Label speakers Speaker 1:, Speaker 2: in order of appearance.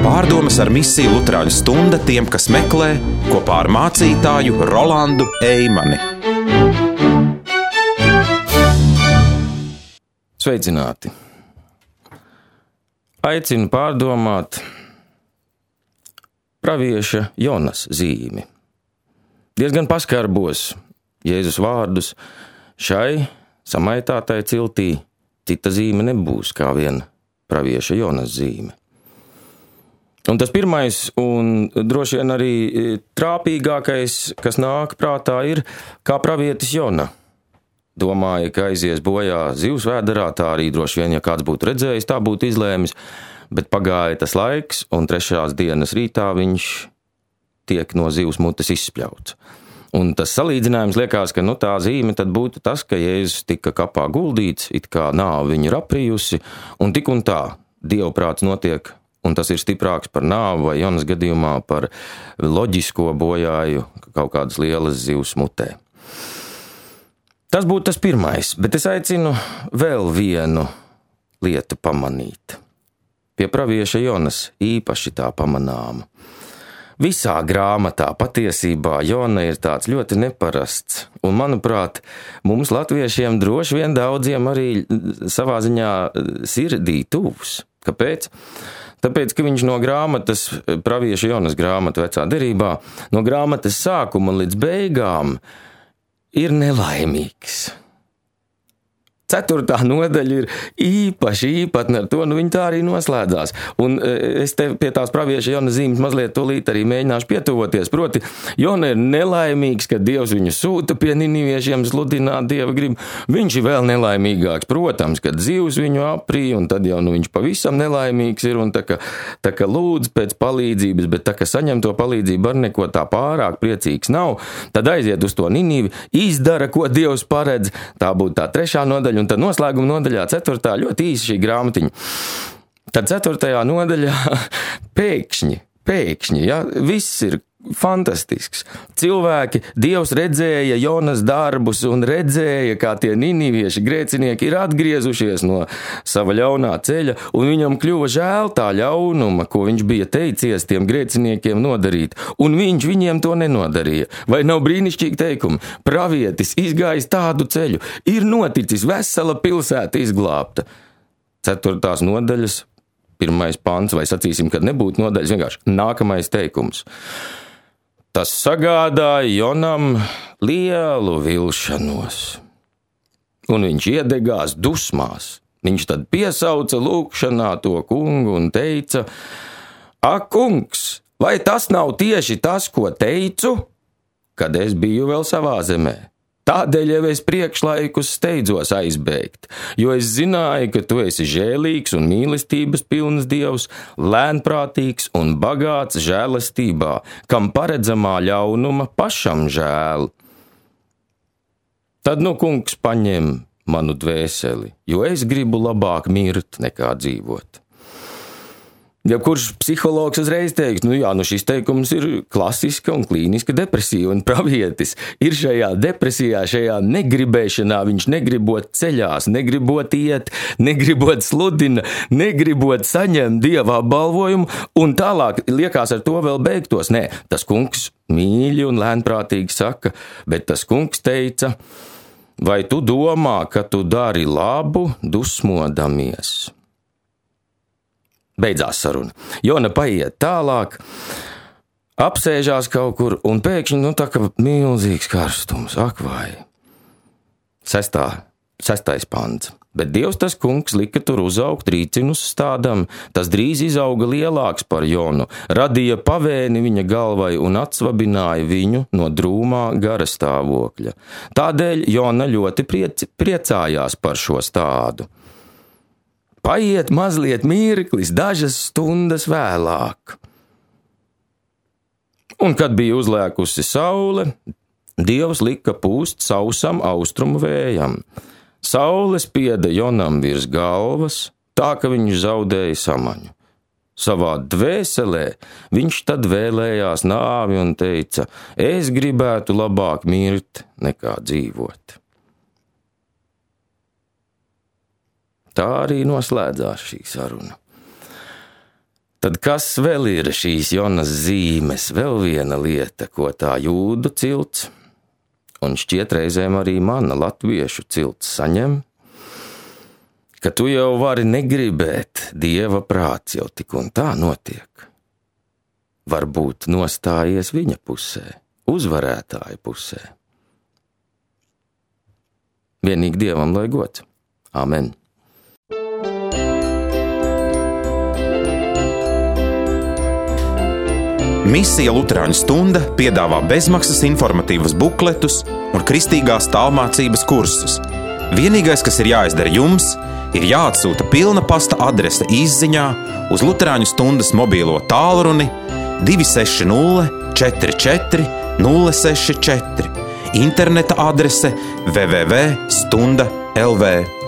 Speaker 1: Pārdomas ar misiju Luterāņu stunda tiem, kas meklē, kopā ar mācītāju Rolandu Eimani.
Speaker 2: Sveicināti! Aicinu pārdomāt pravieša Jonas zīmi. Diezgan paskarbos Jēzus vārdus šai samaitātai ciltī cita zīme nebūs kā vien pravieša Jonas zīme. Un tas pirmais un droši vien arī trāpīgākais, kas nāk prātā, ir kā pravietis Jona. Domāja, ka aizies bojā zivs vēderā, tā arī droši vien, ja kāds būtu redzējis, tā būtu izlēmis, bet pagāja tas laiks, un 3. dienas rītā viņš tiek no zivs mutes izspļauts. Un tas salīdzinājums liekas, ka tā zīme tad būtu tas, ka Jēzus tika kapā guldīts, it kā nāve viņu ir aprijusi, un tik un tā dievprāts notiek, un tas ir stiprāks par nāvu vai Jonas gadījumā par loģisko bojāju kaut kādas lielas zivs mutē. Tas būtu tas pirmais, bet es aicinu vēl vienu lietu pamanīt. Pie pravieša Jonas īpaši tā pamanāma. Visā grāmatā patiesībā Jona ir tāds ļoti neparasts, un, manuprāt, mums latviešiem droši vien daudziem arī savā ziņā sirdī tuvs. Kāpēc? Tāpēc, ka viņš no grāmatas, pravieša Jonas grāmata vecā derībā, no grāmatas sākuma līdz beigām ir nelaimīgs. 4. nodaļa ir īpaši īpatna ar to, viņa tā arī noslēdzās. Un es te pie tās pravieša Jona zīmes mazliet tūlīt arī mēģināšu pietuvoties. Proti, Jona ir nelaimīgs, kad Dievs viņu sūta pie niniviešiem sludināt Dieva gribu. Viņš ir vēl nelaimīgāks, protams, kad zivs viņu aprīja, un tad jau viņš pavisam nelaimīgs ir, un tā kā lūdz pēc palīdzības, bet tā kā saņem to palīdzību ar neko tā pārāk priecīgs nav, tad aiziet uz to Ninivi, izdara, ko Dievs paredz. Tā būtu tā 3. nodaļa. Un tad noslēguma nodaļā 4. ļoti īsa šī grāmatiņa. Tad 4. nodaļā pēkšņi, ja, viss ir fantastisks. Cilvēki, Dievs redzēja Jonas darbus un redzēja, kā tie ninivieši grēcinieki ir atgriezušies no sava ļaunā ceļa, un viņam kļuva žēl tā ļaunuma, ko viņš bija teicies tiem grēciniekiem nodarīt, un viņš viņiem to nenodarīja. Vai nav brīnišķīgi teikumi? Pravietis izgājis tādu ceļu, ir noticis vesela pilsēta izglābta. 4. nodaļas, 1. pants, vai sacīsim, kad nebūtu nodaļas, vienkārši nākamais teikums. Tas sagādāja Jonam lielu vilšanos, un viņš iedegās dusmās. Viņš tad piesauca lūgšanā to kungu un teica: Ak, kungs, vai tas nav tieši tas, ko teicu, kad es biju vēl savā zemē? Tādēļ jau es priekšlaikus steidzos aizbēgt, jo es zināju, ka tu esi žēlīgs un mīlestības pilns Dievs, lēnprātīgs un bagāts žēlastībā, kam paredzamā ļaunuma pašam žēl. Tad kungs paņem manu dvēseli, jo es gribu labāk mirt nekā dzīvot. Ja kurš psihologs uzreiz teiks, šis teikums ir klasiska un klīniska depresija, un pravietis ir šajā depresijā, šajā negribēšanā, viņš negribot ceļās, negribot iet, negribot sludina, negribot saņemt Dieva apbalvojumu, un tālāk liekas ar to vēl beigtos. Nē, tas kungs mīļi un lēnprātīgi saka, bet tas kungs teica: vai tu domā, ka tu dari labu, dusmodamies? Beidzās saruna. Jona paiet tālāk, apsēžās kaut kur, un pēkšņi, tā kā milzīgs karstums, ak vai. 6. pants. Bet Dievs tas kungs lika tur uzaugt rīcinus stādam, tas drīz izauga lielāks par Jonu, radīja pavēni viņa galvai un atsvabināja viņu no drūmā gara stāvokļa. Tādēļ Jona ļoti priecājās par šo stādu. Paiet mazliet mirklis, dažas stundas vēlāk. Un, kad bija uzlēkusi saule, Dievs lika pūst sausam austrumu vējam. Saule spieda Jonam virs galvas, tā ka viņš zaudēja samaņu. Savā dvēselē viņš tad vēlējās nāvi un teica: es gribētu labāk mirt nekā dzīvot. Tā arī noslēdzās šī saruna. Tad kas vēl ir šīs Jonas zīmes? Vēl viena lieta, ko tā jūdu cilts, un šķiet reizēm arī mana latviešu cilts saņem, ka tu jau vari negribēt, Dieva prāts jau tik un tā notiek. Varbūt nostājies viņa pusē, uzvarētāja pusē. Vienīgi Dievam lai gods. Amen.
Speaker 1: Misija Luterāņu stunda piedāvā bezmaksas informatīvus bukletus un kristīgās tālmācības kursus. Vienīgais, kas ir jāizdara jums, ir jāatsūta pilna pasta adrese izziņā uz Luterāņu stundas mobīlo tālruni 260 44 064, interneta adrese www.stunda.lv.